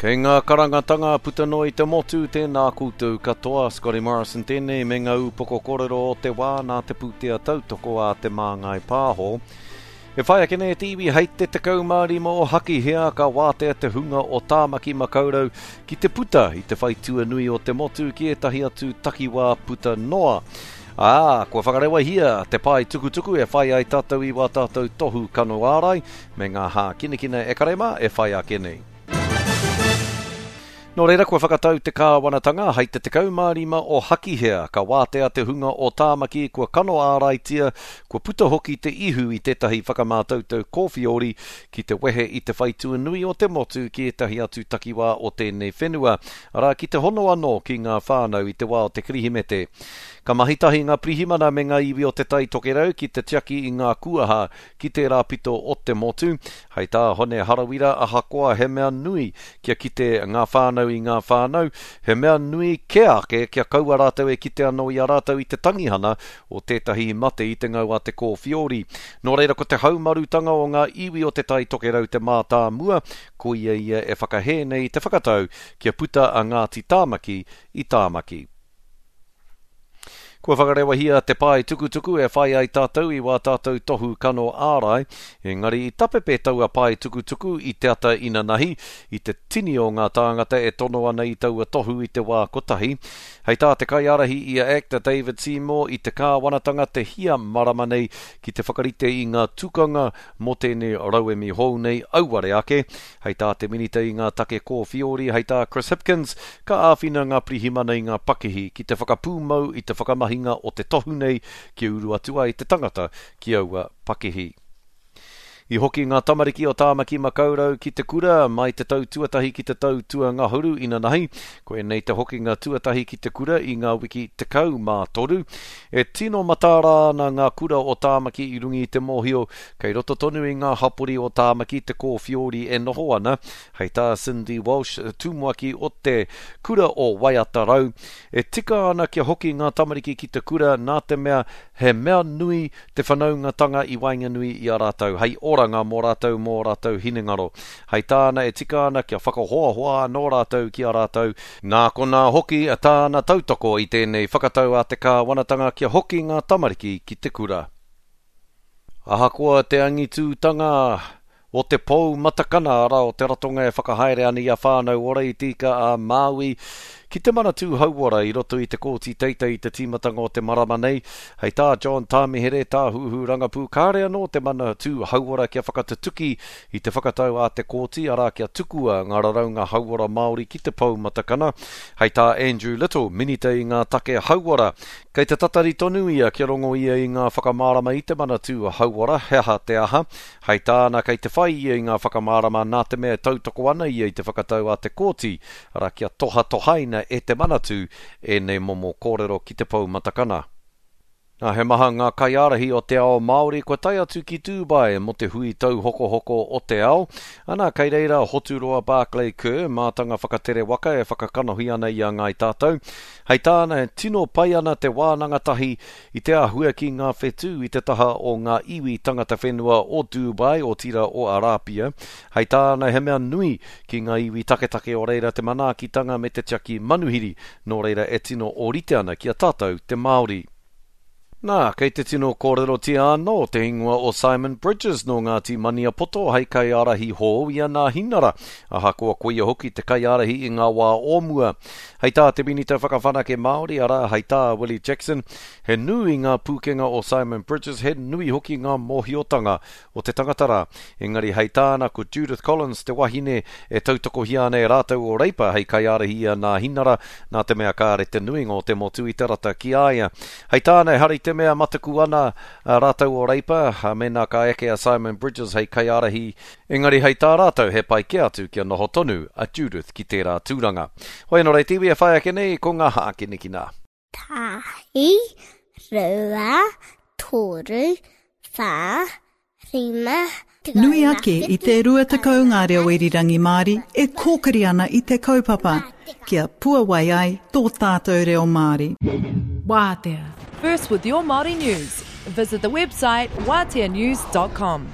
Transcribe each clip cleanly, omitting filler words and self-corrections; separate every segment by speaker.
Speaker 1: Kei ngā karangatanga puta noa i te motu, tēnā koutou katoa. Scotty Morrison tēnei me ngā ūpoko kōrero o te wā nā te pūtea tautoko a Te Māngai Pāho. E whai ake nei te iwi hei te 15 o Hakihea ka wātea te hunga o Tāmaki Makaurau ki te puta i te whaitua nui o te motu ki ētahi atu takiwā puta noa. Ā, kua whakarewahia te pae tukutuku e whai ai tātou i wā tātou tohu kano ārai me ngā hākinakina e kare mā e whai ake nei. Nō reira, kua whakatau te kāwanatanga hei te 15 o Hakihea ka wātea te hunga o Tāmaki kua kano āraitia, kua puta hoki te ihu i tētahi whakamātautau kōwhiori ki te wehe i te whaitua nui o te motu ki ētahi atu takiwā o tēnei whenua, arā, ki te hono anō ki ngā whānau i te wā o te Kirihimete. Ka mahi tahi ngā pirihimana me ngā iwi o Te Tai Tokerau ki te tiaki i ngā kuaha ki tērā pito o te motu. Hei tā Hone Harawira, ahakoa he mea nui kia kite ngā whānau i ngā whānau, he mea nui kē ake kia kaua rātou e kite anō i a rātou i te tangihana o tētahi mate i te ngau a te kōwhiori. Nō reira ko te haumarutanga o ngā iwi o Te Tai Tokerau te mātāmua, koia ia e whakahē nei i te whakatau kia puta a Ngāti Tāmaki i Tāmaki. Kua whakarewahia te pae tukutuku e whai ai tātou i wā tātou tohu kano ārai, engari i tapepe taua pae tukutuku i te ata inanahi, i te tini o ngā tāngata e tono ana i taua tohu i te wā kotahi. Hei tā te kaiārahi i a act a David Seymour i te kāwanatanga te hia marama nei ki te whakarite i ngā tukanga mō tēnei rauemi hou nei auare ake. Hei tā te Minita i ngā take kōwhiori, hei tā Chris Hipkins, ka āwhina ngā pirihimana i ngā pakihi ki te whakapūmau i te whakamahinga o te tohu nei kia uru atu ai te tangata ki aua pakihi. I hoki ngā tamariki o Tāmaki Makaurau ki te kura mai te tau tuatahi ki te tau tuangahuru inanahi. Koinei te hokinga tuatahi ki te kura i ngā wiki 13. E tino mataara ana ngā kura o Tāmaki i runga i te mōhio Kei roto tonu i ngā hapori o Tāmaki te kōwhiori e noho ana, hei tā Cindy Walsh, tumuaki o te Kura o Waiatarau, e tika ana kia hoki ngā tamariki ki te kura nā te mea he mea nui te whanaungatanga i waenganui i a rātou, hei oranga mō rātou mō ō rātou hinengaro. Hei tāna e tika ana kia whakahoahoa anō rātou ki a rātou, nā konā hoki tāna tautoko i tēnei whakatau a te kāwanatanga kia hoki ngā tamariki ki te kura. Ahakoa te angitūtanga o te pou matakana, arā, o te ratonga e whakahaere ana i a Whānau Ora i Te Ika a Māui ki te Manatū Hauora i roto i te Kōti Teitei i te tīmatanga o te marama nei, hei tā John Tāmihere, Tāhuhu Rangapū, kāre anō te Manatū Hauora kia whakatutuki i te whakatau a te Kōti, arā, kia tukua ngā raraunga hauora Māori ki te pou matakana. Hei tā Andrew Little, Minita i ngā take hauora, Kei te tatari tonu ia kia rongo ia i ngā whakamārama i te Manatū Hauora, he aha te aha. Hei tāna, kei te whai ia i ngā whakamārama nā te mea e tautoko ana ia i te whakatau a te Kōti, arā kia tohatohaina e te Manatū ēnei momo kōrero ki te pou matakana. Nā, he maha ngā kaiārahi o te ao Māori kua tae atu ki Dubai mō te hui tauhokohoko o te ao. Ana, kei reira a Hoturoa Barclay Kerr, mātanga whakatere waka e whakakanohi ana i a Ngāi Tātou. Hei tāna, e tino pai ana te wānanga tahi i te āhua ki ngā whetū i te taha o ngā iwi tangata whenua o Dubai, otirā o Arāpia. Hei tāna, he mea nui ki ngā iwi taketake o reira te manaakitanga me te tiaki manuhiri, nō reira e tino ōrite ana ki a tātou te Māori. Nā, kei te tino kōrerotia anō te ingoa o Simon Bridges nō Ngāti Maniapoto hei kaiārahi hou i a Nāhinara, ahakoa koia hoki te kaiārahi i ngā wā o mua. Hei tā te Minita Whakawhanake Māori, arā, hei tā Willie Jackson, he nui ngā pūkenga o Simon Bridges, he nui hoki ngā mōhiotanga o te tangata rā. Engari hei tāna ko Judith Collins te wahine e tautokohia ana e rātou o Reipa hei kaiārahi i a Nāhinara, nā te mea kāre te nuinga o te motu i te rata ki a ia. Hei tāna ehara i te mea mataku ana rātou o Reipa mēnā ka eke a Simon Bridges hei kaiārahi, engari hei tā rātou he pai kē atu kia noho tonu a Judith ki tērā tūranga. Hoi anō rei te iwi e whai ake nei ko ngā hākinakina.
Speaker 2: Tahi, rua, toru, whā, rima,
Speaker 3: Nui ake i te 20 ngā reo irirangi Māori e kōkiri ana i te kaupapa kia puawai ai tō tātou reo Māori.
Speaker 4: Wātea. First with your Māori news. Visit the website wāteanews.com.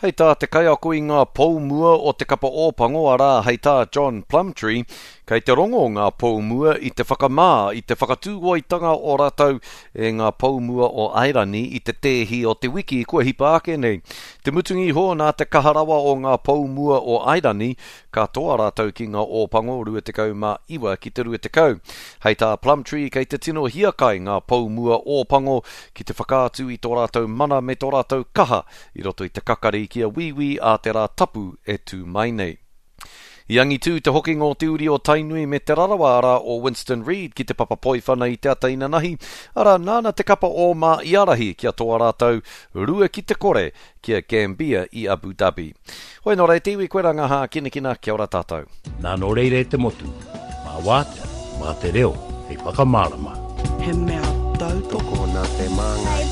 Speaker 1: Hei tā te kaiako i ngā pou mua o te kapa Ōpango, arā, hei tā John Plumtree, kei te rongo ngā pou mua i te whakamā, i te whakatūoitanga o rātou e ngā pou mua o Airani i te tēhi o te wiki kua hipa ake nei. Te mutunga iho, nā te kaha rawa o ngā pou mua o Airani, ka toa rātou ki ngā Ōpango 29 ki te 20. Hei tā Plumtree, kei te tino hiakai ngā pou mua Ōpango ki te whakaatu i tō rātou mana me tō rātou kaha i roto i te kakari ki a Wīwī ā te Rā Tapu e tū mai nei. I angitū te hokinga o te uri o Tainui me Te Rarawa arā o Winston Reid ki te papa poiwhana i te ata inanahi, arā nāna te kapa ōma i ārahi kia toa rātou 2-0 ki a Gambia i Abu Dhabi. Hoi nō reira te iwi koe rā ngā hākinakina, kia ora tātou.
Speaker 5: Nā nō reira e te motu, mā Wātea, mā te reo hei whakamārama.
Speaker 6: He mea tautoko.
Speaker 7: Tokona te māngai.